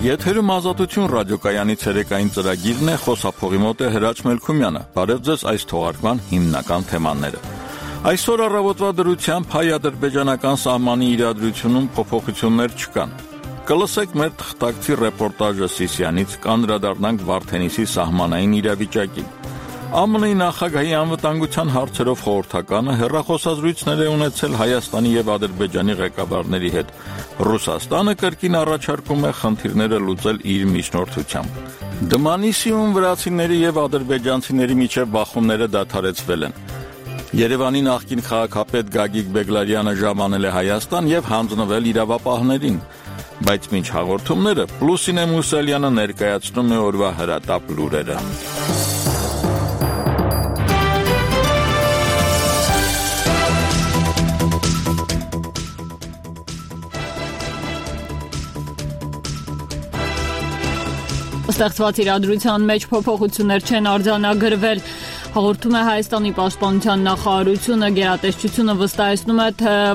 Եթերում Ազատություն ռադիոկայանի ցերեկային ծրագիրն է, խոսափողի մոտ է Հրաչ Մելքումյանը։ Բարև ձեզ այս թողարկման հիմնական թեմաները։ Այսօր առավոտվա դրությամբ հայ-ադրբեջանական սահմանի իրադրությունում փոփոխություններ չկան։ Կլսեք մեր թղթակցի ռեպորտաժը Սիսիանից, կանդրադառնանք Վարդենիսի սահմանային իրավիճակին։ ԱՄՆ-ի նախագահի անվտանգության հարցերով խորհրդականը հեռախոսազրույցներ է ունեցել Հայաստանի եւ Ադրբեջանի ղեկավարների հետ։ Ռուսաստանը կրկին առաջարկում է խնդիրները լուծել իր միջնորդությամբ։ Դմանիսիում վրացիների եւ ադրբեջանցիների միջև բախումները դադարեցվել են։ Երևանի նախկին քաղաքապետ Գագիկ Բեգլարյանը ժամանել է Հայաստան եւ հանձնվել իրավապահներին։ Բայց մինչ հաղորդումները Լուսինե Մուսալյանը ներկայացնում է օրվա հրատապ լուրերը։ Ստեղծված իրադրության մեջ փոփոխություններ չեն արձանագրվել, հաղորդում է Հայաստանի պաշտպանության նախարարությունը։ Գերատեսչությունը վստահեցնում է,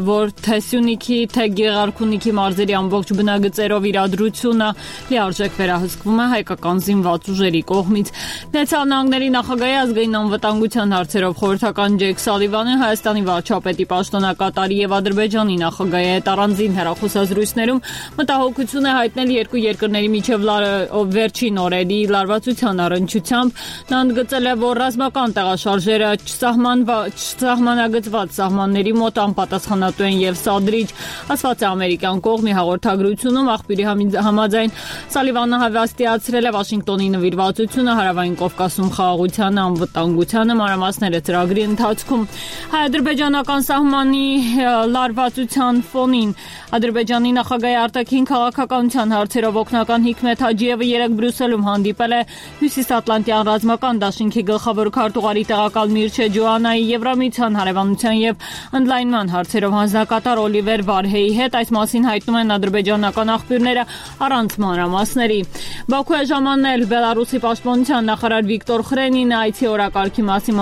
որ թե Սյունիքի, թե Գեղարքունիքի մարզերի ամբողջ բնագծերով իրադրությունը լիարժեք վերահսկվում է հայկական զինված ուժերի կողմից։ Միացյալ Նահանգների նախագահի ազգային անվտանգության հարցերով խորհրդական Ջեյք Սալիվանը Հայաստանի վարչապետի պաշտոնակատարի եւ Ադրբեջանի նախագահի հետ առանձին հեռախոսազրույցներում մտահոգություն է հայտնել երկու երկրների միջև վերջին օրերի լարվածության առնչությամբ։ Նա ընդգծել է, որ ռազմական տեղաշարժերը չսահմանագծված սահմանների մոտ անպատասխանատու են եւ սադրիչ, ասված է ամերիկյան կողմի հաղորդագրությունում։ Աղբյուրի համաձայն Սալիվանը հավաստիացրել է Վաշինգտոնի նվիրվածությունը Հարավային Կովկասում խաղաղությանը, անվտանգությանը, մանրամասները ծրագրի ընթացքում։ Հայ-ադրբեջանական սահմանի լարվածության ֆոնին Ադրբեջանի նախագահի արտաքին քաղաքականության հարցերով օգնական Հիկմեթ Հաջիևը երեկ Բրյուսելում հանդիպել է Հյուսիսատլանտյան ռազմական դաշինքի գլխավոր քարտուղարի տեղակալ Միրչե Ջոանայի, Եվրամիության հարևանության եւ ընդլայնման հարցերով հանձնակատար Օլիվեր Վարհեի հետ։ Այս մասին հայտնում են ադրբեջանական աղբյուրները առանց մանրամասների։ Բաքու է ժամանել Բելարուսի պաշտպանության նախարար Վիկտոր Խրենինը, այցի օրակարգի մասին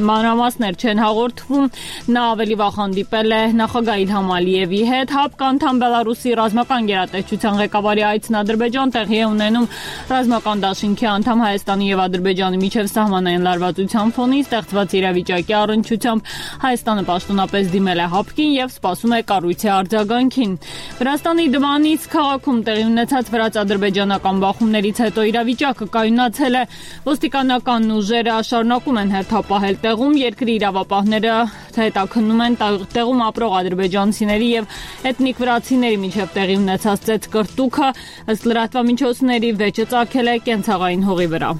մանրամասներ չեն հաղորդվում։ Նա ավելի վաղ հանդիպել է նախագահ Իլհամ Ալիևի հետ։ ՀԱՊԿ անդամ Բելարուսի ռազմական գերատեսչության ղեկավարի այցն Ադրբեջան տեղի է ունենում ռազմական դաշինքի անդամ Հայաստանի եւ Ադրբեջանի միջև սահմանային լարվածության ֆոնին ստեղծված իրավիճակի առնչությամբ Հայաստանը պաշտոնապես դիմել է ՀԱՊԿ-ին եւ սպասում է կառույցի արձագանքին։ Վրաստանի Դմանից քաղաքում տեղի ունեցած վրաց-ադրբեջանական բախումներից հետո իրավիճակը կայունացել է։ Ոստիկանական ուժերը շարունակում են հերթապահել տեղում, երկրի իրավապահները հետաքննում են տեղում ապրող ադրբեջանցիների եւ էթնիկ վրացիների միջև տեղի ունեցած ծեծկրտուքը։ Ըստ լրատվամիջոցների վեճը ծագել է կենցաղային հողի վրա։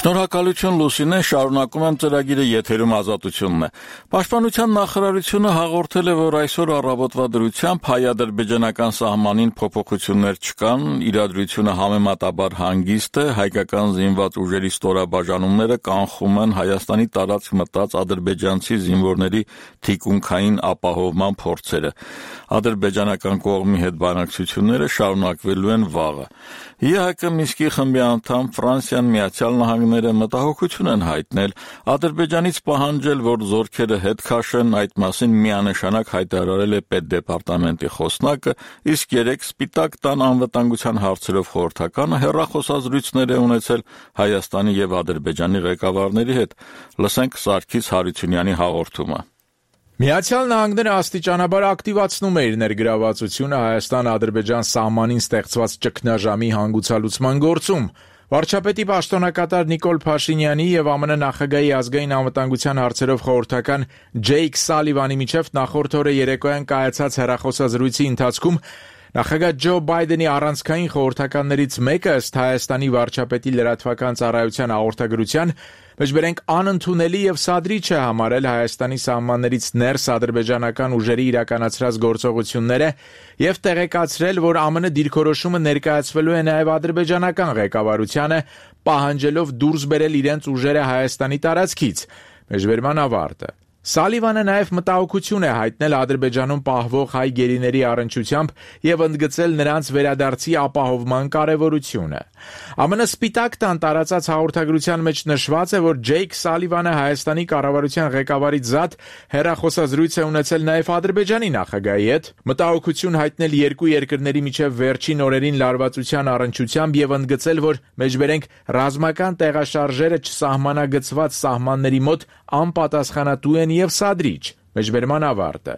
Շնորհակալություն Լուսինե, շարունակում եմ ծրագիրը, եթերում Ազատությունն է։ Պաշտպանության նախարարությունը հաղորդել է, որ այսօր առավոտվա դրությամբ հայ-ադրբեջանական սահմանին փոփոխություններ չկան, իրադրությունը համեմատաբար հանգիստ է, հայկական զինված ուժերի ստորաբաժանումները կանխում են Հայաստանի տարածք մտած ադրբեջանցի զինվորների թիկունքային ապահովման փորձերը։ Ադրբեջանական կողմի հետ բանակցությունները շարունակվելու են վաղը։ ԵՀԿ Մինսկի խմբի անդամ Ֆրանսիան, Միացյալ Նահանգները մտահոգություն են հայտնել, Ադրբեջանից պահանջել, որ զորքերը հետ քաշեն, այդ մասին միանշանակ հայտարարել է պետդեպարտամենտի խոսնակը, իսկ երեկ Սպիտակ տան անվտանգության հարցերով խորհրդականը հեռախոսազրույցներ է ունեցել Հայաստանի եւ Ադրբեջանի ղեկավարների հետ։ Լսենք Սարգիս Հարությունյանի հաղորդումը։ Միացյալ Նահանգները աստիճանաբար ակտիվացնում է իր ներգրավվածությունը Հայաստան-Ադրբեջան սահմանին ստեղծված ճգնաժամի հանգուցալուծման գործում։ Վարչապետի պաշտոնակատար Նիկոլ Փաշինյանի եւ ԱՄՆ նախագահի ազգային անվտանգության հարցերով խորհրդական Ջեյք Սալիվանի միջև նախորդ օրը երեկոյան կայացած հեռախոսազրույցի ընթացքում նախագահ Ջո Բայդենի առանցքային խորհրդականներից մեկը ըստ Հայաստանի վարչապետի լրատվական ծառայության հաղորդագրության մեջբերենք անընդունելի եւ սադրիչ է համարել Հայաստանի սահմաններից ներս ադրբեջանական ուժերի իրականացրած գործողությունները եւ տեղեկացրել, որ ԱՄՆ դիրքորոշումը ներկայացվելու է նաեւ ադրբեջանական ղեկավարությանը, պահանջելով դուրս բերել իրենց ուժերը Հայաստանի տարածքից։ Մեջբերման ավարտը։ Սալիվանը նաև մտահոգություն է հայտնել Ադրբեջանում պահվող հայ գերիների առնչությամբ եւ ընդգծել նրանց վերադարձի ապահովման կարեւորությունը։ ԱՄՆ Սպիտակ տան տարածած հաղորդագրության մեջ նշված է, որ Ջեյք Սալիվանը Հայաստանի կառավարության ղեկավարից զատ հեռախոսազրույց է ունեցել նաև Ադրբեջանի նախագահի հետ, մտահոգություն հայտնել երկու երկրների միջև վերջին օրերին լարվածության առնչությամբ եւ ընդգծել, որ մեջբերենք ռազմական տեղաշարժերը չսահմանագծված սահմանների մոտ անպատասխանատու են եւ սադրիչ։ Մեջբերման ավարտը։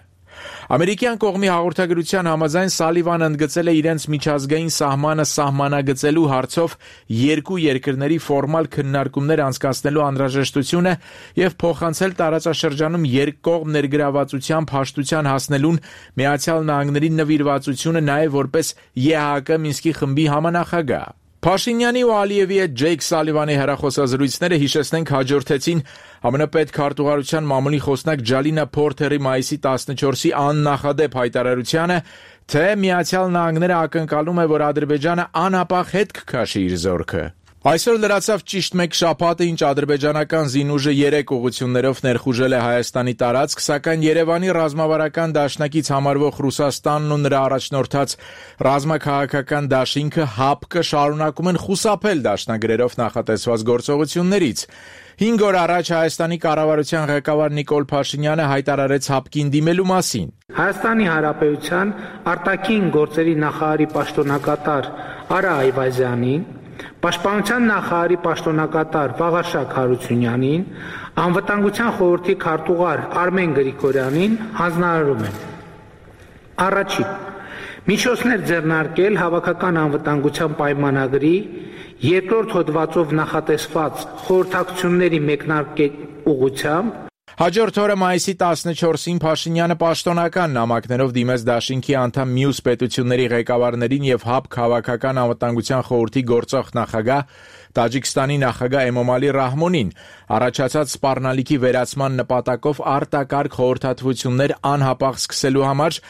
Ամերիկյան կողմի հաղորդագրության համաձայն Սալիվանը ընդգծել է իրենց միջազգային սահմանը սահմանագծելու հարցով երկու երկրների ֆորմալ քննարկումներ անցկացնելու անհրաժեշտությունը եւ փոխանցել տարածաշրջանում երկկողմ ներգրավվածության փաշտության հասնելուն Միացյալ Նահանգների նվիրվածությունը նաեւ որպես ԵՀԿ Մինսկի խմբի համանախագահ։ Փաշինյանի ու Ալիևի հետ Ջեյք Սալիվանի հեռախոսազրույցները հիշեցնենք հաջորդեցին ԱՄՆ պետքարտուղարության մամուլի խոսնակ Ջալինա Փորթերի մայիսի 14-ի աննախադեպ հայտարարությանը, թե Միացյալ Նահանգները ակնկալում է, որ Ադրբեջանը անհապաղ հետ կքաշի իր զորքը։ Այսօր լրացավ ճիշտ մեկ շաբաթը, ինչ ադրբեջանական զինուժը 3 ուղղություններով ներխուժել է Հայաստանի տարածք, սակայն Երևանի ռազմավարական դաշնակից համարվող Ռուսաստանն ու նրա առաջնորդած ռազմաքաղաքական դաշինքը ՀԱՊԿ շարունակում են խուսափել դաշնագրերով նախատեսված գործողություններից։ 5 օր առաջ Հայաստանի կառավարության ղեկավար Նիկոլ Փաշինյանը հայտարարեց ՀԱՊԿ-ին դիմելու մասին։ Հայաստանի Հանրապետության արտաքին գործերի նախարարի պաշտոնակատար Արա Այվազյանին, Պաշտպանության նախարարի պաշտոնակատար Վաղարշակ Հարությունյանին, Անվտանգության խորհրդի քարտուղար Արմեն Գրիգորյանին հանձնարարում են. Առաջին. միջոցներ ձեռնարկել հավաքական անվտանգության պայմանագրի երկրորդ հոդվածով նախատեսված խորհրդակցությունների մեկնարկել ուղղությամբ։ Հաջորդ օրը մայիսի 14-ին Փաշինյանը պաշտոնական նամակներով դիմեց դաշինքի անդամ մյուս պետությունների ղեկավարներին եւ ՀԱՊԿ հավաքական անվտանգության խորհրդի գործող նախագահ Տաջիկստանի նախագահ Էմոմալի Ռահմոնին, առաջացած սպառնալիքի վերացման նպատակով արտակարգ խորհրդատվություններ անհապաղ սկսելու համար,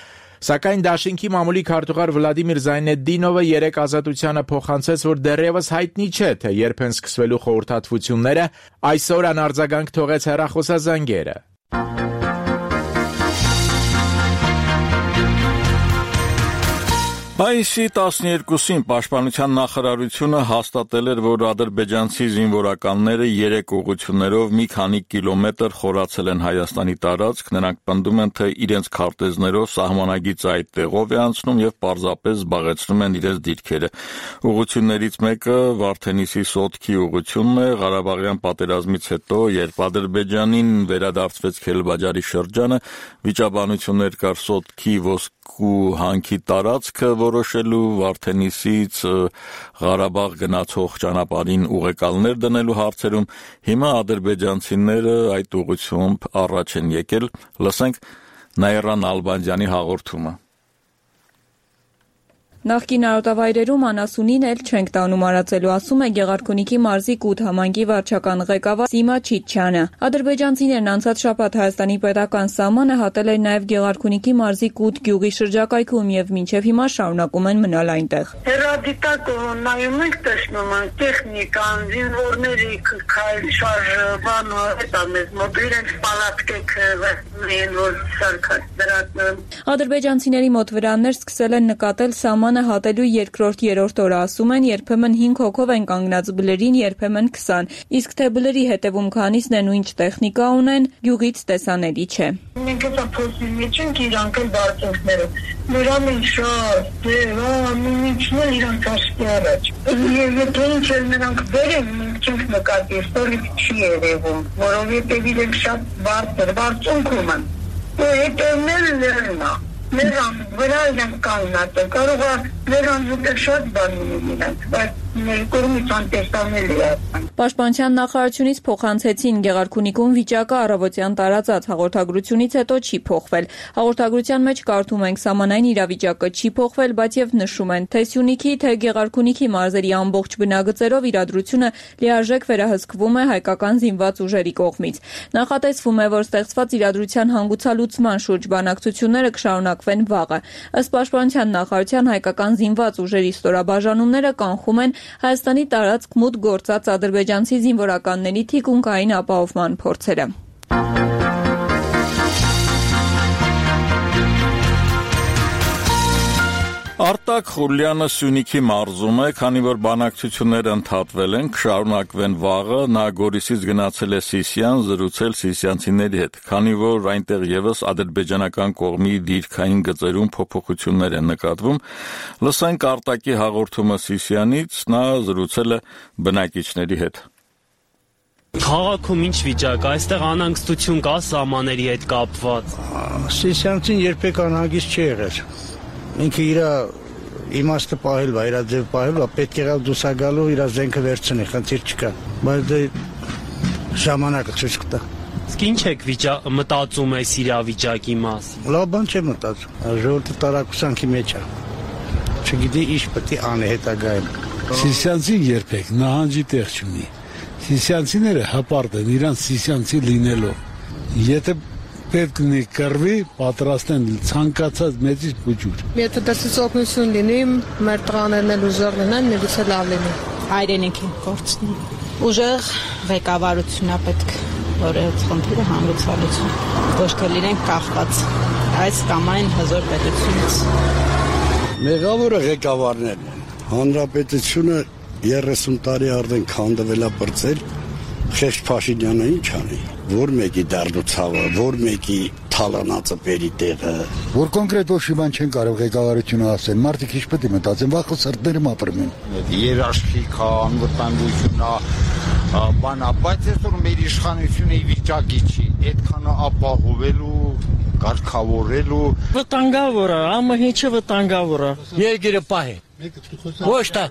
սակայն դաշինքի մամուլի քարտուղար Վլադիմիր Զայնեդդինովը երեկ Ազատությանը փոխանցեց, որ դեռևս հայտնի չէ, թե երբ են սկսվելու խորհրդատվությունները, այսօր անարձագանք թողեց հեռախոսազանգերը։ Մայիսի 12-ին Պաշտպանության նախարարությունը հաստատել էր, որ ադրբեջանցի զինվորականները 3 ուղղություններով մի քանի կիլոմետր խորացել են Հայաստանի տարածք, նրանք պնդում են, թե իրենց քարտեզներով սահմանագիծը այդ տեղով է անցնում եւ պարզապես զբաղեցնում են իրենց դիրքերը։ Ուղղություններից մեկը Վարդենիսի Սոտքի ուղղությունն է, Ղարաբաղյան պատերազմից հետո, երբ Ադրբեջանին վերադարձվեց Քելբաջարի շրջանը, վիճաբանություններ կար Սոտքի ոսկու հանքի տարածքը որոշելու, Վարդենիսից Ղարաբաղ գնացող ճանապարհին ուղեկալներ դնելու հարցերում, հիմա ադրբեջանցիները այդ ուղղությամբ առաջ են եկել։ Լսենք Նաիրա Նալբանդյանի հաղորդումը։ Նախկին արոտավայրերում անասունին էլ չենք տանում արածելու, ասում է Գեղարքունիքի մարզի Կութ համայնքի վարչական ղեկավար Սիմա Չիչյանը։ Ադրբեջանցիներն անցած շաբաթ Հայաստանի պետական սահմանը հատել են նաև Գեղարքունիքի մարզի Կութ գյուղի շրջակայքում եւ մինչեւ հիմա շարունակում են մնալ այնտեղ։ Հերադիտակ նայում ենք, տեսնում ենք տեխնիկան, զինվորների քայլ շարժը, հետո մեզ մոտ իրենց պալատկեք վերցնեն, որ սարքած դրած։ Ադրբեջանցիների մոտ վրաններ սկսել են նկատել սահմանը հատելու երկրորդ-երրորդ օրը, ասում են, երբեմն 5 հոգով են կանգնած բլերին, երբեմն 20, իսկ թե բլերի հետևում քանիսն են ու ինչ տեխնիկա ունեն, գյուղից տեսանելի չէ։ Մենք հա փոսի մեջ ենք իրանք էլ բարձունքները։ Նրան են շատ, նույնիցն էլ իրանք ասկի առաջ։ Եվ եթե ինչ էլ նրանք բերեն, մենք չենք նկատի, ստորիկ չի երևում, որովհետև իրենք շատ բարձունքում են։ Հետևնել լերնա։ Նրան վրա իրենք կանգնած են, կարող է նրան ուտել շատ բան իրենք, բայց ներկորումից անտեսանելի է։ Պաշտպանության նախարարությունից փոխանցեցին Գեղարքունիքում վիճակը առավոտյան տարածած հաղորդագրությունից հետո չի փոխվել։ Հաղորդագրության մեջ կարդում ենք սահմանային իրավիճակը չի փոխվել, բայց եւ նշում են, թե Սյունիքի, թե Գեղարքունիքի մարզերի ամբողջ բնագծերով իրադրությունը լիարժեք վերահսկվում է հայկական զինված ուժերի կողմից։ Նախատեսվում է, որ ստեղծված իրադրության հանգուցալուծման շուրջ բանակցությունները կշարունակվեն վաղը։ Ըստ Պաշտպանության նախարարության հայկական զինված ուժերի ստորաբաժանումները կանխում են Հայաստանի տարածք մուտք գործած ադրբեջանցի զինվորականների թիկունքային ապահովման փորձերը։ Արտակ Խուլյանը Սյունիքի մարզում է, քանի որ բանակցությունները ընդհատվել են, կշարունակվեն վաղը, նա Գորիսից գնացել է Սիսիան, զրուցել սիսիանցիների հետ, քանի որ այնտեղ եւս ադրբեջանական կողմի դիրքային գծերում փոփոխություններ են նկատվում, լսենք Արտակի հաղորդումը Սիսիանից, նա զրուցել է բնակիչների հետ։ Քաղաքում ինչ վիճակ, այստեղ անհանգստություն կա սահմանների հետ կապված։ Սիսիանցին երբեք անհագիստ չի եղել։ Ինքը իր իմաստը պահել, իր ձև պահել, պետք եղավ դուսագալու իր զենքը վերցնի, խնդիր չկա։ Բայց դե ժամանակը ցույց կտա։ Իսկ ինչ եք մտածում այս իրավիճակի մասին։ Լավ բան չէ մտածում։ Ժողովուրդը տարակուսանքի մեջ է։ Չգիտի ինչ պետք է անի հետագայում։ Սիսիանցին երբեք նահանջի տեղ չունի։ Սիսիանցիները հպարտ են իրանց սիսիանցի լինելով։ Եթե պետք ունի կռվի, պատրաստ են ցանկացած մեծից փուջուր։ Եթե դասից օգնություն լինի, մեր տղաներն էլ ուժեղ լինեն, միգուցե լավ լինի։ Հայրենիքի գործն ուժեղ ղեկավարություն է պետք, որ այդ խնդիրը հանգուցալուծի։ Ոչ թե լինենք կախված այս կամ այն հզոր պետությունից։ Մեղավորը ղեկավարներն են։ Հանրապետությունը 30 տարի արդեն քանդվել է բրծել, Խեղճ Փաշինյանը ինչ անի, որ մեկի դառնուցավը, որ մեկի թալանածը բերի տեղը, որ կոնկրետ ոչ մի բան չեն կարող ղեկավարությունը ասել, մարդիկ ինչ պետք է մտածեն, վախը սրտներում ապրում են։ Երաշխիք, անվտանգությունն բանա, բայց այսօր մեր իշխանությունը ի վիճակի չի, այդքանը ապահովելու, կարգավորելու։ Վտանգավոր է, ամը ինչը վտանգավոր է։ Երկիրը պահի։ Ոչ թե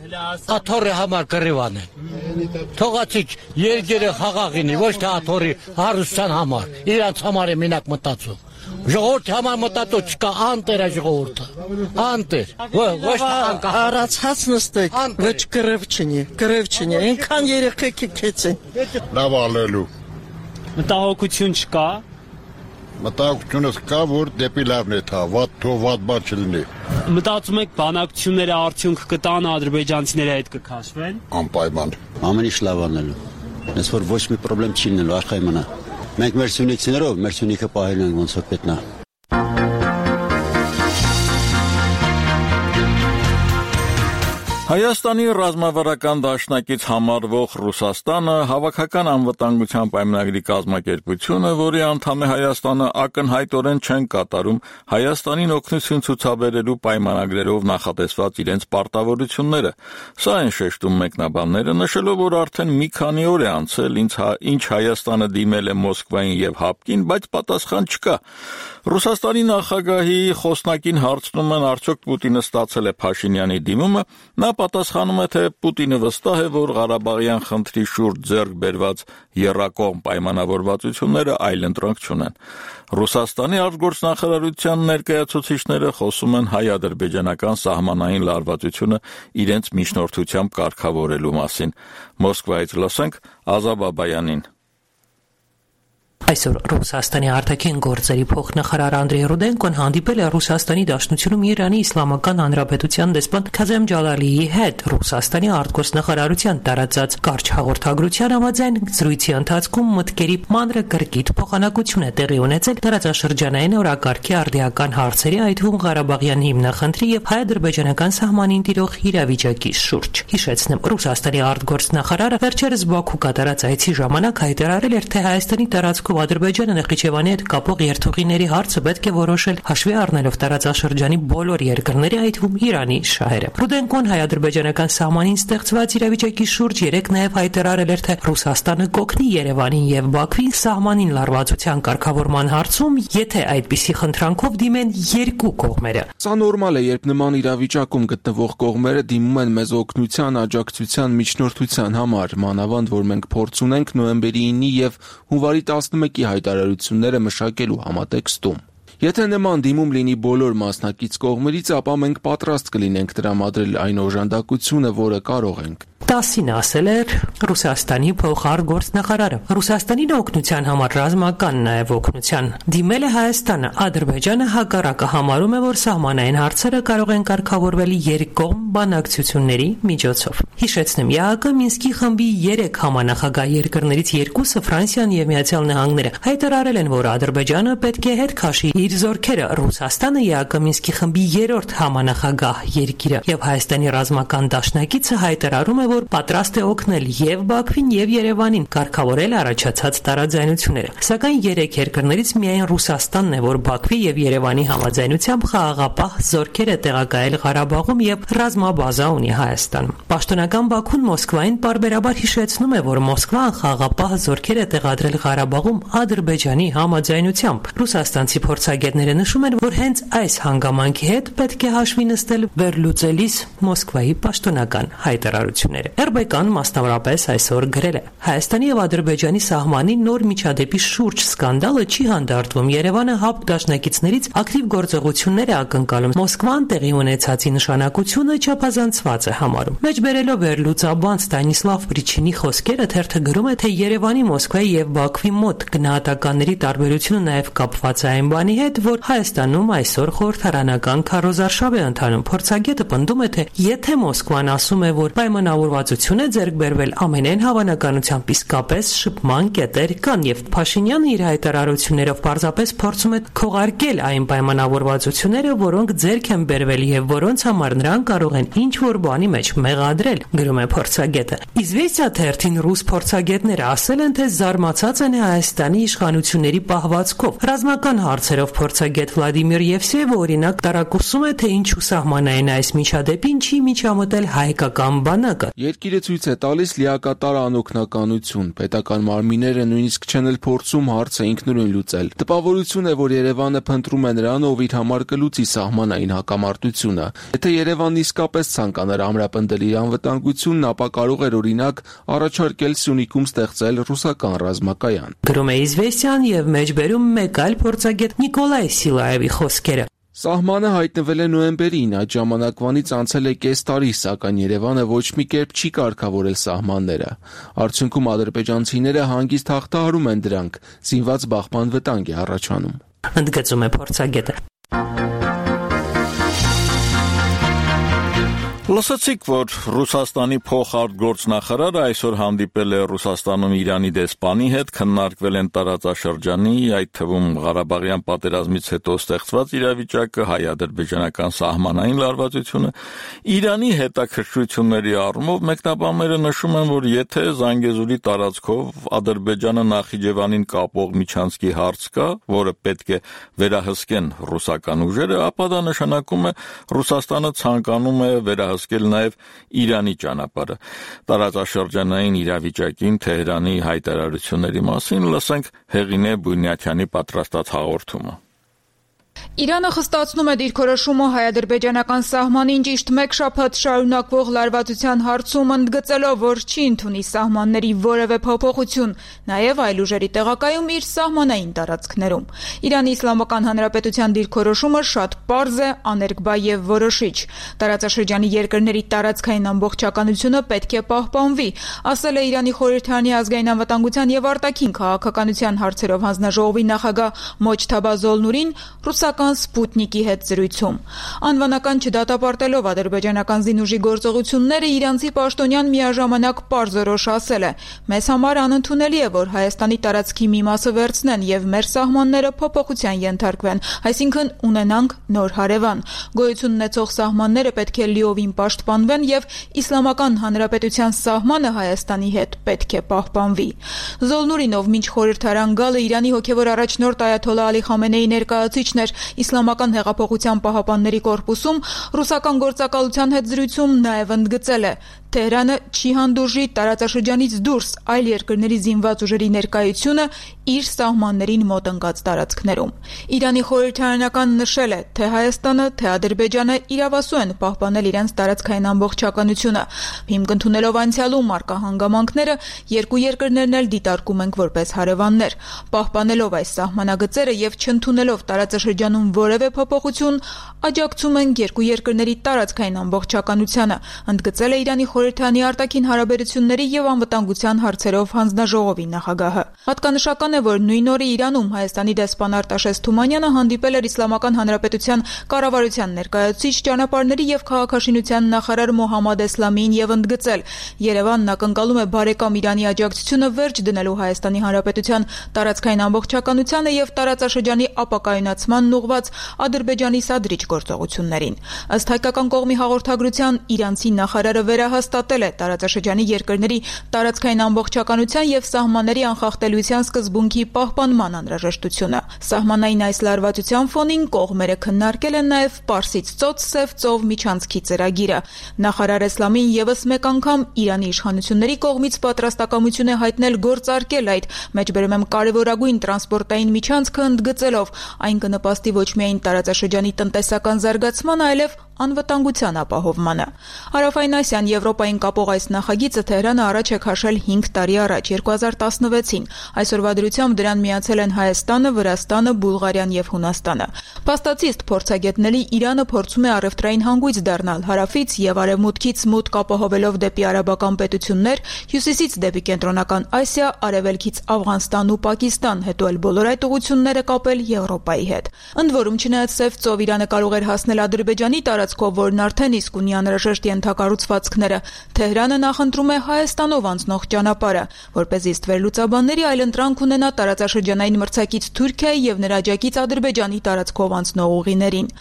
աթոռի համար կռիվան են։ Թողացիք երկիրը խաղաղինի, ոչ թե աթոռի հարստության համար, իրանց համար է մենակ մտածում։ Ժողովրդի համար մտածում չկա, անտեր է ժողովուրդը, անտեր, ոչ թե անկախ։ Արացած նստեք, ոչ կռիվ չնի, այնքան երեխեք քեցին։ Լավ ալելու։ Մտահոգություն չկա։ Մտահոգությունը կա, որ դեպի լավն է թա, վատ բան չլինի։ Մտածում եք բանակցությունները արդյունք կտան, ադրբեջանցիների հետ կքաշվեն։ Անպայման։ Ամեն ինչ լավ անելու։ Ես որ ոչ մի խնդրեմ չի լինելու աշխարհի մնա։ Մենք մեր սյունիքներով մեր սյունիքը պահել ենք ոնց որ պետք է։ Հայաստանի ռազմավարական դաշնակից համարվող Ռուսաստանը հավաքական անվտանգության պայմանագրի կազմակերպությունը, որի անդամ է Հայաստանը, ակնհայտորեն չեն կատարում Հայաստանին օգնություն ցուցաբերելու պայմանագրերով նախատեսված իրենց պարտավորությունները։ Սա են շեշտում մեկնաբանները, նշելով, որ արդեն մի քանի օր է անցել, ինչ Հայաստանը դիմել է Մոսկվային եւ Հապկին, բայց պատասխան չկա։ Ռուսաստանի նախագահի խոսնակին հարցնում են, արդյոք Պուտինը ստացել է Փաշինյանի դիմումը, նա պատասխանում է, թե Պուտինը վստահ է, որ Ղարաբաղյան խնդրի շուրջ ձեռք բերված եռակողմ պայմանավորվածությունները այլընտրանք չունեն։ Ռուսաստանի արտգործնախարարության ներկայացուցիչները խոսում են հայ-ադրբեջանական սահմանային լարվածությունը իրենց միջնորդությամբ կարգավորելու մասին։ Մոսկվայից լսենք Ազա Բաբայանին։ Այսօր Ռուսաստանի արտաքին գործերի փոխնախարար Անդրեյ Ռուդենկոն հանդիպել է Ռուսաստանի Դաշնությունում Իրանի Իսլամական Հանրապետության դեսպան Քազեմ Ջալալիի հետ։ Ռուսաստանի արտգործնախարարության տարածած կարճ հաղորդագրության համաձայն զրույցի ընթացքում մտքերի մանրակրկիտ փոխանակություն է տեղի ունեցել տարածաշրջանային օրակարգի արդիական հարցերի, այդ թվում Ղարաբաղյան հիմնախնդրի եւ հայ-ադրբեջանական սահմանին տիրող իրավիճակի շուրջ։ Հիշեցնեմ, Ռուսաստանի արտգործնախարարը վերջերս Բաքու կատարած այցի ժամանակ հայտարարել էր, թե Հայաստանի տարածքում Ադրբեջանը Նախիջևանի հետ կապող երթուղիների հարցը պետք է որոշել հաշվի առնելով տարածաշրջանի բոլոր երկրների, այդ թվում Իրանի շահերը։ Ռուդենկոն հայ-ադրբեջանական սահմանին ստեղծված իրավիճակի շուրջ երեկ նաև հայտարարել էր, թե Ռուսաստանը կօգնի Երևանին եւ Բաքվին սահմանին լարվածության կարգավորման հարցում, եթե այդպիսի խնդրանքով դիմեն երկու կողմերը։ Սա նորմալ է, երբ նման իրավիճակում գտնվող կողմերը դիմում են մեզ օգնության, աջակցության, միջնորդության համար, մանավանդ որ մենք փորձ ունենք նոյեմբերի 9-ի եւ հունվարի 11-ի հայտարարությունները մշակելու համատեքստում։ Եթե նման դիմում լինի բոլոր մասնակից կողմերից, ապա մենք պատրաստ կլինենք տրամադրել այն օժանդակությունը, որը կարող ենք։ 10-ին ասել էր Ռուսաստանի փոխարտգործնախարարը։ Ռուսաստանին օգնության համար ռազմական նաև օգնության դիմել է Հայաստանը։ Ադրբեջանը հակառակը համարում է, որ սահմանային հարցերը կարող են կարգավորվել երկկողմ բանակցությունների միջոցով։ Հիշեցնեմ, ԵԱՀԿ Մինսկի խմբի 3 համանախագահ երկրներից 2-ը Ֆրանսիան եւ Միացյալ Նահանգները հայտարարել են, որ Ադրբեջանը պետք է հետ քաշի իր զորքերը։ Ռուսաստանը ԵԱՀԿ Մինսկի խմբի 3-րդ համանախագահ երկիրը եւ Հայաստանի ռազմական դաշնակիցը հայտարարում է, որ պատրաստ է օգնել եւ Բաքվին եւ Երևանին կարգավորել առաջացած տարաձայնությունները։ Սակայն 3 երկրներից միայն Ռուսաստանն է, որ Բաքվի եւ Երևանի համաձայնությամբ խաղաղապահ զորքեր է տեղակայել Ղարաբաղում եւ ռազմաբազա ունի Հայաստանում։ Պաշտոնական Բաքուն Մոսկվային պարբերաբար հիշեցնում է, որ Մոսկվան խաղաղապահ զորքեր է տեղադրել Ղարաբաղում Ադրբեջանի համաձայնությամբ։ Ռուսաստանցի փորձագետները նշում են, որ հենց այս հանգամանքի հետ պետք է հաշվի նստել վերլուծելիս Մոսկվայի պաշտոնական հայտարարությունները։ RBK-ն մասնավորապես այսօր գրել է. Հայաստանի եւ Ադրբեջանի սահմանի նոր միջադեպի շուրջ սկանդալը չի հանդարտվում։ Երևանը ՀԱՊԿ դաշնակիցներից ակտիվ գործողություններ է ակնկալում։ Մոսկվան տեղի ունեցածի նշանակությունը չափազանցված է համարում։ Մեջբերելով վերլուծաբան Ստանիսլավ Պրիչինի խոսքերը թերթը գրում է, թե Երևանի, Մոսկվայի եւ Բաքվի մոտ գնահատականների տարբերությունը նաեւ կապված է այն բանի հետ, որ Հայաստանում այսօր խորհրդարանական քարոզարշավ է ընթանում։ Փորձագետը պնդում է, թե եթե Մոսկվան ասում է, որ պայմանավորվածություն է ձեռք բերվել, ամենայն հավանականությամբ իսկապես շփման կետեր կան եւ Փաշինյանը իր հայտարարություններով պարզապես փորձում է քողարկել այն պայմանավորվածությունները, որոնք ձեռք են բերվել եւ որոնց համար նրանք կարող են ինչ որ բանի մեջ մեղադրել, գրում է փորձագետը։ Իզվեստիա թերթին ռուս փորձագետները ասել են, թե զարմացած են Հայաստանի իշխանությունների պահվածքով։ Ռազմական հարցերով փորձագետ Վլադիմիր Եվսեևը օրինակ տարակուսում է, թե ինչու սահմանային այս միջադեպին չի միջամտել հայկական բանակը։ Երկիրը ցույց է տալիս լիակատար անօգնականություն։ Պետական մարմինները նույնիսկ չեն էլ փորձում հարցը ինքնուրույն լուծել։ Տպավորություն է, որ Երևանը փնտրում է նրան, ով իր համար կլուծի սահմանային հակամարտությունը։ Եթե Երևանն իսկապես ցանկանար ամրապնդել իր անվտանգությունն, ապա կարող էր օրինակ առաջարկել Սյունիքում ստեղծել ռուսական ռազմակայան։ Գրում է Իզվեստիան եւ մեջբերում մեկ այլ փորձագետ Նիկոլայ Սիլաևի խոսքերը։ Սահմանը հայտնվել է նոյեմբերին, այդ ժամանակվանից անցել է կես տարի, սակայն Երևանը ոչ մի կերպ չի կարգավորել սահմանները։ Արդյունքում ադրբեջանցիները հանգիստ հաղթահարում են դրանք, զինված բախման վտանգ է առաջանում։ Ընդգծում է փորձագետը։ Լսեցիք, որ Ռուսաստանի փոխարտգործնախարարը այսօր հանդիպել է Ռուսաստանում Իրանի դեսպանի հետ, քննարկվել են տարածաշրջանի, այդ թվում Ղարաբաղյան պատերազմից հետո ստեղծված իրավիճակը, հայ-ադրբեջանական սահմանային լարվածությունը, Իրանի հետաքրքրությունների առումով մեկնաբանները նշում են, որ եթե Զանգեզուրի տարածքով Ադրբեջանը Նախիջևանին կապող միջանցքի հարց կա, որը պետք է վերահսկեն ռուսական ուժերը, ապա դա նշանակում է Ռուսաստանը ցանկանում է վերահսկել նաև Իրանի ճանապարհը։ Տարածաշրջանային իրավիճակին Թեհրանի հայտարարությունների մասին լսենք Հեղինե Բունյաթյանի պատրաստած հաղորդումը։ Իրանը խստացնում է դիրքորոշումը հայ-ադրբեջանական սահմանին ճիշտ մեկ շաբաթ շարունակվող լարվածության հարցում, ընդգծելով, որ չի ընդունի սահմանների որևէ փոփոխություն, նաև այլ ուժերի տեղակայում իր սահմանային տարածքներում։ Իրանի Իսլամական Հանրապետության դիրքորոշումը շատ պարզ է, աներկբա եւ որոշիչ։ Տարածաշրջանի երկրների տարածքային ամբողջականությունը պետք է պահպանվի, ասել է Իրանի խորհրդարանի ազգային անվտանգության եւ արտաքին քաղաքականության հարցերով հանձնաժողովի նախագահ Մոջթաբա Զոլնուրին ռուսական Սպուտնիկի հետ զրույցում։ Անվանական չդատապարտելով ադրբեջանական զինուժի գործողությունները իրանցի պաշտոնյան միաժամանակ պարզորոշ ասել է. «Մեզ համար անընդունելի է, որ Հայաստանի տարածքի մի մասը վերցնեն եւ մեր սահմանները փոփոխության ենթարկվեն, այսինքն ունենանք նոր հարևան։ Գոյություն ունեցող սահմանները պետք է լիովին պաշտպանվեն եւ Իսլամական Հանրապետության սահմանը Հայաստանի հետ պետք է պահպանվի»։ Զոլնուրին, ով մինչ խորհրդարան գալը Իրանի հոգեվոր առաջնորդ Այաթոլլա Ալի Խամենեի ներկայացուցիչն էր Իսլամական հեղափոխության պահապանների կորպուսում, ռուսական գործակալության հետ զրույցում նաև ընդգծել է. Թեհրանը չի հանդուրժի տարածաշրջանից դուրս այլ երկրների զինված ուժերի ներկայությունը իր սահմաններին մոտ ընկած տարածքներում։ Իրանի խորհրդարանական նշել է, թե Հայաստանը, թե Ադրբեջանը իրավասու են պահպանել իրենց տարածքային ամբողջականությունը։ Հիմք ընդունելով անցյալում առկա հանգամանքները, երկու երկրներն էլ դիտարկում ենք որպես հարևաններ։ Պահպանելով այս սահմանագծերը եւ չընդունելով տարածաշրջանում որևէ փոփոխություն, աջակցում ենք երկու երկրների տարածքային ամբողջականությանը, ընդգծել է Իրանի խորհրդանի արտաքին հարաբերությունների եւ անվտանգության հարցերով հանձնաժողովի նախագահը։ Հատկանշական է, որ նույն օրը Իրանում Հայաստանի դեսպան Արտաշես Թումանյանը հանդիպել էր Իսլամական Հանրապետության կառավարության ներկայացուցիչ, ճանապարհների եւ քաղաքաշինության նախարար Մոհամմադ Էսլամին եւ ընդգծել. Երևանն ակնկալում է բարեկամ Իրանի աջակցությունը վերջ դնելու Հայաստանի Հանրապետության տարածքային ամբողջականությանը եւ տարածաշրջանի ապակայունացմանն ուղղված Ադրբեջանի սադրիչ գործողություններին։ Ըստ հայկական կողմի հաղորդագրության, իրանցի նախարարը վերահաստատել է տարածաշրջանի երկրների տարածքային ամբողջականության եւ սահմանների անխախտելիության սկզբունքի պահպանման անհրաժեշտությունը։ Սահմանային այս լարվածության ֆոնին կողմերը քննարկել են նաեւ Պարսից ծոց-Սև ծով միջանցքի ծրագիրը։ Նախարար Էսլամին եւս մեկ անգամ Իրանի իշխանությունների կողմից պատրաստակամություն է հայտնել գործարկել այդ մեջբերում եմ կարևորագույն տրանսպորտային միջանցքը, ընդգծելով այն կնպաստի ոչ միայն տարածաշրջանի տնտեսական զարգացմանը, այլև անվտանգության ապահովմանը։ Հարավային Ասիան Եվրոպային կապող այս նախագիծը Թեհրանը առաջ է քաշել 5 տարի առաջ 2016-ին։ Այսօրվա դրությամբ դրան միացել են Հայաստանը, Վրաստանը, Բուլղարիան եւ Հունաստանը։ Փաստացիստ փորձագետների Իրանը փորձում է առևտրային հանգույց դառնալ հարավից եւ արևմուտքից մուտք ապահովելով դեպի արաբական պետություններ, հյուսիսից դեպի կենտրոնական Ասիա, արևելքից Աֆղանստան ու Պակիստան, հետո էլ բոլոր այդ ուղությունները կապել Եվրոպայի հետ։ Ընդ որում, չնայած Սև ծով Իրանը կարող էր հասնել Ադրբեջանի տարածքով, որն արդեն իսկ ունի անհրաժեշտ ենթակառուցվածքները, Թեհրանը նախընտրում է Հայաստանով անցնող ճանապարհը, որպեսզի ստվեր լուծաբանների այլընտրանք ունենա տարածաշրջանային մրցակից Թուրքիայի եւ նրա աջակից Ադրբեջանի տարածքով անցնող ուղիներին։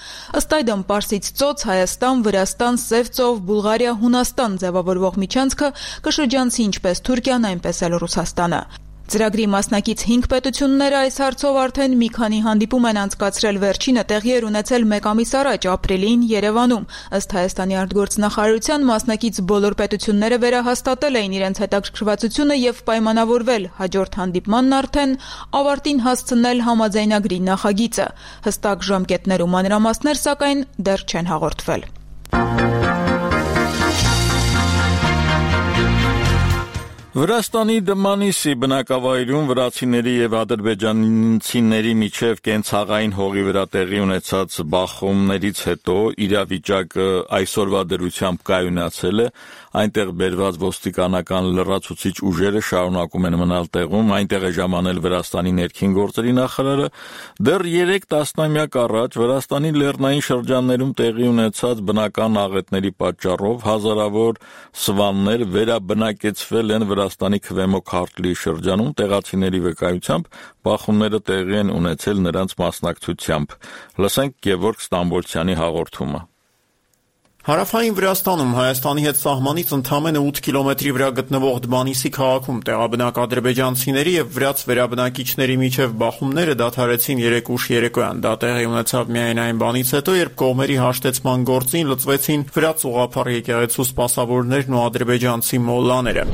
Ըստ այդմ Պարսից ծոց, Հայաստան, Վրաստան, Սև ծով, Բուլղարիա, Հունաստան ձևավորվող միջանցքը կշրջանցի ինչպես Թուրքիան, այնպես էլ Ռուսաստանը։ Ծրագրի մասնակից 5 պետությունները այս հարցով արդեն մի քանի հանդիպում են անցկացրել, վերջինը տեղի էր ունեցել 1 ամիս առաջ ապրիլին Երևանում։ Ըստ Հայաստանի արտգործնախարարության, մասնակից բոլոր պետությունները վերահաստատել էին իրենց հետաքրքրվածությունը եւ պայմանավորվել հաջորդ հանդիպմանն արդեն ավարտին հասցնել համաձայնագրի նախագիծը։ Հստակ ժամկետներ ու մանրամասներ սակայն դեռ չեն հաղորդվել։ Վրաստանի Դմանիսի բնակավայրում վրացիների եւ ադրբեջանցիների միջև կենցաղային հողի վրա տեղի ունեցած բախումներից հետո իրավիճակը այսօրվա դրությամբ կայունացել է, այնտեղ բերված ոստիկանական լրացուցիչ ուժերը շարունակում են մնալ տեղում, այնտեղ է ժամանել Վրաստանի ներքին գործերի նախարարը, դեռ 3 տասնամյակ առաջ Վրաստանի լեռնային շրջաններում տեղի ունեցած բնական աղետների պատճառով հազարավոր սվաններ վերաբնակեցվել են Վրաստանի Քվեմո Քարթլի շրջանում, տեղացիների վկայությամբ բախումները տեղի են ունեցել նրանց մասնակցությամբ։ Լսենք Գևորգ Ստամբոլցյանի հաղորդումը։ Հարավային Վրաստանում Հայաստանի հետ սահմանից ընդամենը 8 կիլոմետրի վրա գտնվող Դմանիսի քաղաքում տեղաբնակ ադրբեջանցիների եւ վրաց վերաբնակիչների միջև բախումները դադարեցին 3 ուշ երեկոյան։ Դա տեղի ունեցավ միայն այն բանից հետո, երբ կողմերի հաշտեցման գործին լծվեցին վրաց ուղղափառ եկեղեցու սպասավորներն ու ադրբեջանցի մոլլաները։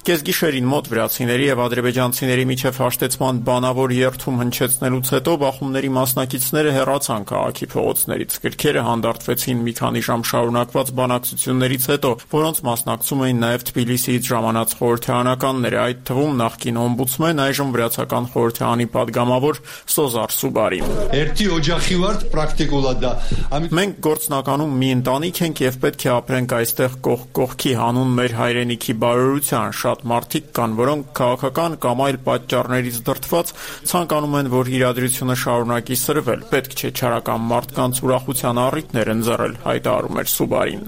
Կեսգիշերին մոտ վրացիների եւ ադրբեջանցիների միջև հաշտեցման բանավոր երթում հնչեցնելուց հետո բախումների մասնակիցները հեռացան քաղաքի փողոցներից։ Գրքերը հանդարտվեցին մի քանի ժամ շարունակված բանակցություններից հետո, որոնց մասնակցում էին նաեւ Թբիլիսիից ժամանած խորհրդարանականները, այդ թվում նախկին օմբուդսմեն, այժմ վրացական խորհրդարանի падգամավոր Սոզար Սուբարին։ Մենք գործնականում մի ընտանիք ենք եւ պետք է ապրենք այստեղ կողք կողքի հանուն մեր հայրենիքի բարօրության։ Շատ մարդիկ կան, որոնք քաղաքական կամ այլ պատճառներից դրդված ցանկանում են, որ իրադրությունը շարունակի սրվել։ Պետք չէ չարական մարդկանց ուրախության առիթներ ընձեռել, հայտարարում էր Սուբարին։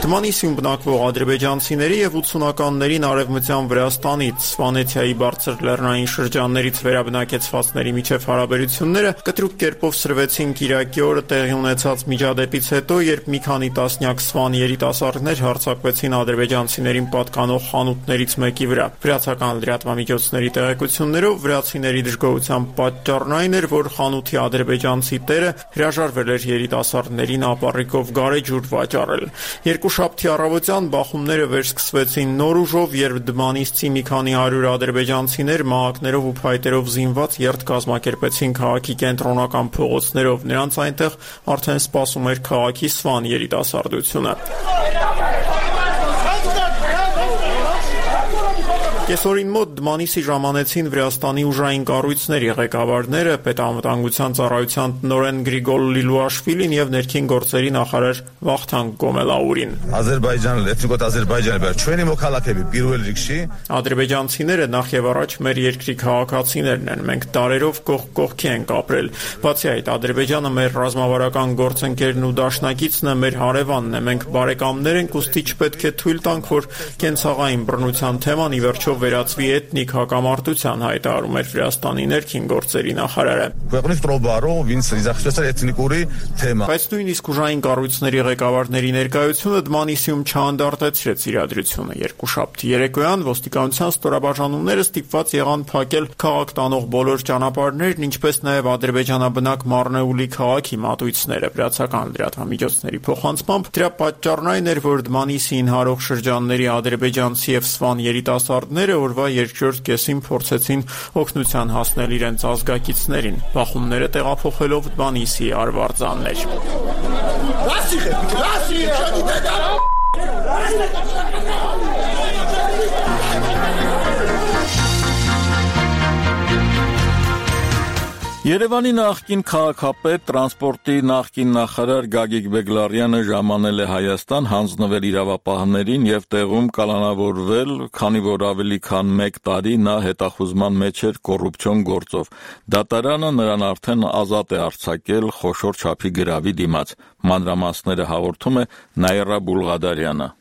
Դմանիսիում բնակվող ադրբեջանցիների եւ 80-ականներին արևմտյան Վրաստանից Սվանեթիայի բարձր լեռնային շրջաններից վերաբնակեցվածների միջև հարաբերությունները կտրուկ կերպով սրվեցին Կիրակի օրը տեղի ունեցած միջադեպից հետո, երբ մի քանի տասնյակ սվան երիտասարդներ հարձակվեցին ադրբեջանցիներին պատկանող խանութներից մեկի վրա։ Վրացական լրատվամիջոցների տեղեկություններով վրացիների դժգոհության պատճառն այն էր, որ խանութի ադրբեջանցի տերը հրաժարվել էր երիտասարդներին ապառիկով գարեջուր վաճառել։ Երկուշաբթի առավոտյան բախումները վերսկսվեցին նոր ուժով, երբ Դմանիսցի մի քանի 100 ադրբեջանցիներ մահակներով ու փայտերով զինված երթ կազմակերպեցին քաղաքի կենտրոնական փողոցներով։ Նրանց այնտեղ արդեն սպասում էր քաղաքի սվան երիտասարդությունը։ Կեսօրին մոտ Դմանիսի ժամանեցին Վրաստանի ուժային կառույցների ղեկավարները, պետանվտանգության ծառայության տնօրեն Գրիգոր Լիլուաշվիլին եւ ներքին գործերի նախարար Վախթանգ Գոմելաուրին։ Ադրբեջանցիները նախ եւ առաջ մեր երկրի քաղաքացիներն են, մենք տարերով կողք կողքի ենք ապրել։ Բացի այդ, Ադրբեջանը մեր ռազմավարական գործընկերն ու դաշնակիցն է, մեր հարևանն է, մենք բարեկամներ ենք, ուստի չպետք է թույլ տանք, որ կենցաղային բռնության թեման ի վերջո վերածվի էթնիկ հակամարտության, հայտարարում էր Վրաստանի ներքին գործերի նախարարը։ Բայց նույնիսկ ուժային կառույցների ղեկավարների ներկայությունը Դմանիսիում չանդարտեցրեց իրադրությունը։ Երկուշաբթի երեկոյան ոստիկանության ստորաբաժանումները ստիպված եղան փակել քաղաք տանող բոլոր ճանապարհներն, ինչպես նաև ադրբեջանաբնակ Մարնեուլի քաղաքի մատույցները։ Վրացական լրատվամիջոցների փոխանցմամբ դրա պատճառն այն էր, որ Դմանիսին հարող շրջանների ադրբեջանցի եւ սվան երիտասարդները օրվա երկրորդ կեսին փորձեցին օգնության հասնել իրենց ազգակիցներին, բախումները տեղափոխելով Դմանիսի արվարձաններ։ Երևանի նախկին քաղաքապետ, տրանսպորտի նախկին նախարար Գագիկ Բեգլարյանը ժամանել է Հայաստան հանձնվել իրավապահներին եւ տեղում կալանավորվել, քանի որ ավելի քան 1 տարի նա հետախուզման մեջ էր կոռուպցիոն գործով։ Դատարանը նրան արդեն ազատ է արձակել խոշոր չափի գրավի դիմաց։ Մանրամասները հաղորդում է Նաիրա Բուլղադարյանը։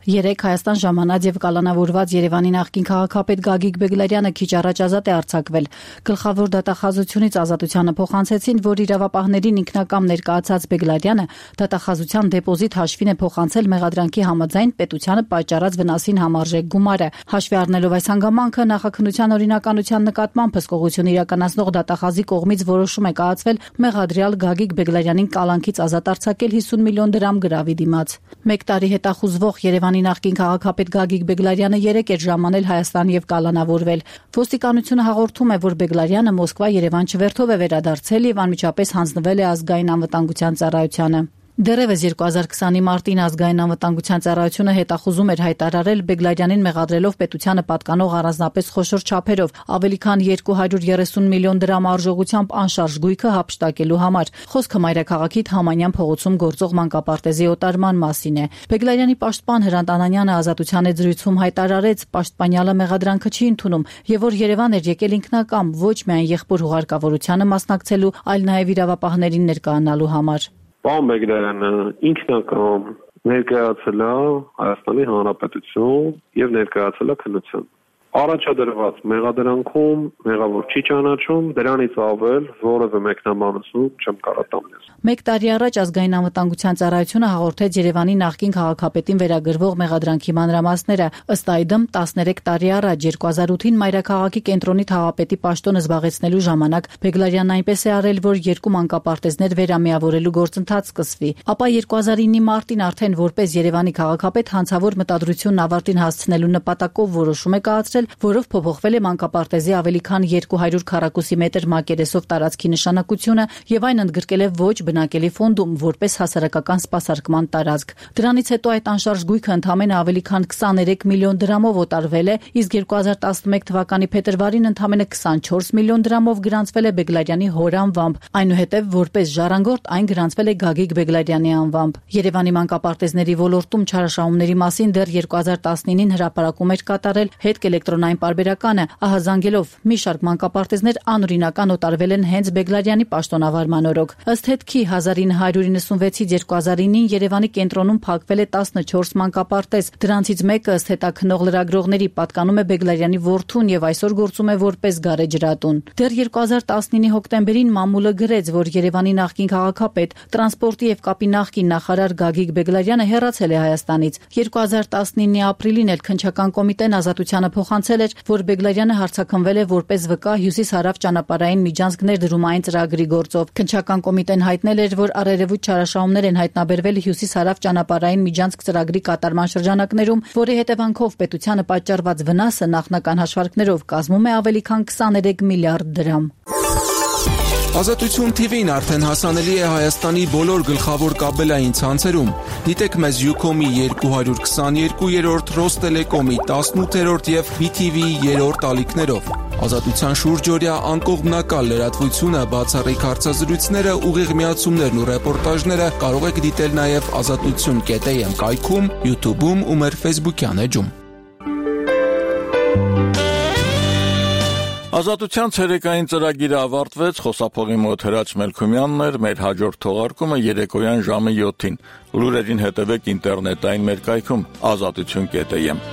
Երեկ Հայաստան ժամանած եւ կալանավորված Երևանի նախկին քաղաքապետ Գագիկ Բեգլարյանը քիչ առաջ ազատ է արձակվել։ Գլխավոր դատախազությունից ազատությանը փոխանցեցին, որ իրավապահներին ինքնակամ ներկայացած Բեգլարյանը դատախազության դեպոզիտ հաշվին է փոխանցել մեղադրանքի համաձայն պետությանը պատճառած վնասին համարժեք գումարը։ Հաշվի առնելով այս հանգամանքը, նախաքննության օրինականության նկատմամբ հսկողություն իրականացնող դատախազի կողմից որոշում է կայացվել մեղադրյալ Գագիկ Բեգլարյանին կալանքից ազատ արձակել 50 միլիոն դրամ գրավի դիմաց։ 1 տարի հետախուզվող Երևանի նախկին քաղաքապետ Գագիկ Բեգլարյանը երեկ էր ժամանել Հայաստան եւ կալանավորվել։ Ոստիկանությունը հաղորդում է, որ Բեգլարյանը Մոսկվա-Երևան չվերթով է վերադարձել եւ անմիջապես հանձնվել է ազգային անվտանգության ծառայությանը։ Դեռևս 2020-ի մարտին ազգային անվտանգության ծառայությունը հետախուզում էր հայտարարել Բեգլարյանին մեղադրելով պետությանը պատկանող առանձնապես խոշոր չափերով ավելի քան 230 միլիոն դրամ արժողությամբ անշարժ գույքը հափշտակելու համար։ Խոսքը մայրաքաղաքի Թամանյան փողոցում գործող մանկապարտեզի օտարման մասին է։ Բեգլարյանի պաշտպան Հրանտ Անանյանը ազատության զրույցում հայտարարեց, պաշտպանյալը մեղադրանքը չի ընդունում եւ որ Երևան էր եկել ինքնակամ ոչ միայն եղբոր հուղարկավորությանը մասնակցելու, այլ նաեւ իրավապահներին ներկայանալու համար։ Պարոն Բեգլարյանը ինքնակամ ներկայացել է Հայաստանի Հանրապետություն եւ ներկայացել է քննության։ Առաջադրված մեղադրանքում մեղավոր չի ճանաչում, դրանից ավել որևէ մեկնաբանություն չեմ կարող տալ։ 1 տարի առաջ ազգային անվտանգության ծառայությունը հաղորդեց Երևանի նախկին քաղաքապետին վերագրվող մեղադրանքի մանրամասները։ Ըստ այդմ 13 տարի առաջ 2008-ին մայրաքաղաքի կենտրոնի թաղապետի պաշտոնը զբաղեցնելու ժամանակ Բեգլարյանն այնպես է արել, որ 2 մանկապարտեզներ վերամիավորելու գործընթաց սկսվի։ Ապա 2009-ի մարտին արդեն որպես Երևանի քաղաքապետ հանցավոր մտադրությունն ավարտին հասցնելու նպատակով որոշում է կայացրել, որով փոփոխվել է մանկապարտեզի ավելի քան 200 քառակուսի մետր մակերեսով տարածքի նշանակությունը եւ այն ընդգրկել է ոչ բնակելի ֆոնդում որպես հասարակական սպասարկման տարածք։ Դրանից հետո այդ անշարժ գույքը ընդամենը ավելի քան 23 միլիոն դրամով օտարվել է, իսկ 2011 թվականի փետրվարին ընդամենը 24 միլիոն դրամով գրանցվել է Բեգլարյանի հոր անվամբ։ Այնուհետև որպես ժառանգորդ այն գրանցվել է Գագիկ Բեգլարյանի անվամբ։ Երևանի մանկապարտեզների ոլորտում չարաշահումների մասին դեռ 2019-ին հրապարակում էր կատարել հետք էլեկտրոնային պարբերականը, ահազանգելով մի շարք մանկապարտեզներ անօրինական օտարվել են հենց Բեգլարյանի պաշտոնավարման օրոք։ Ըստ հետքի 1996-ից 2009-ին Երևանի կենտրոնում փակվել է 14 մանկապարտեզ։ Դրանցից մեկը ըստ հետաքննող լրագրողների պատկանում է Բեգլարյանի որդուն եւ այսօր գործում է որպես գարեջրատուն։ Դեռ 2019-ի հոկտեմբերին մամուլը գրեց, որ Երևանի նախկին քաղաքապետ, տրանսպորտի եւ կապի նախկին նախարար Գագիկ Բեգլարյանը հեռացել է Հայաստանից։ 2019-ի ապրիլին էլ քննչական կոմիտեն ազատությանը փոխանցել էր, որ Բեգլարյանը հարձակվել է որպես վկա հյուսիս-հարավ ճանապարհային միջանցք ներդրումային ծրագրի գործով։ Քննչական կոմիտեն հայտնել էր, որ առերևույթ չարաշահումներ են հայտնաբերվել հյուսիս-հարավ ճանապարհային միջանցք ծրագրի կատարման շրջանակներում, որի հետևանքով պետությանը պատճառված վնասը նախնական հաշվարկներով կազմում է ավելի քան 23 միլիարդ դրամ։ Ազատություն TV-ն արդեն հասանելի է Հայաստանի բոլոր գլխավոր կաբելային ցանցերում։ Դիտեք մեզ Ucom-ի 222-րդ, Ռոստելեկոմի 18-րդ եւ BTV-ի 3-րդ ալիքներով։ Ազատության շուրջօրյա անկողմնակալ լրատվությունը, բացառիկ հարցազրույցները, ուղիղ միացումներն ու ռեպորտաժները կարող եք դիտել նաեւ azatutun.am կայքում, YouTube-ում ու մեր Facebook-յան էջում։ Ազատության ցերեկային ծրագիրը ավարտվեց, խոսափողի մոտ Հրաչ Մելքումյանն էր, մեր հաջորդ թողարկումը երեկոյան ժամը 7-ին։ Լուրերին հետևեք ինտերնետային մեր կայքում azatutun.am։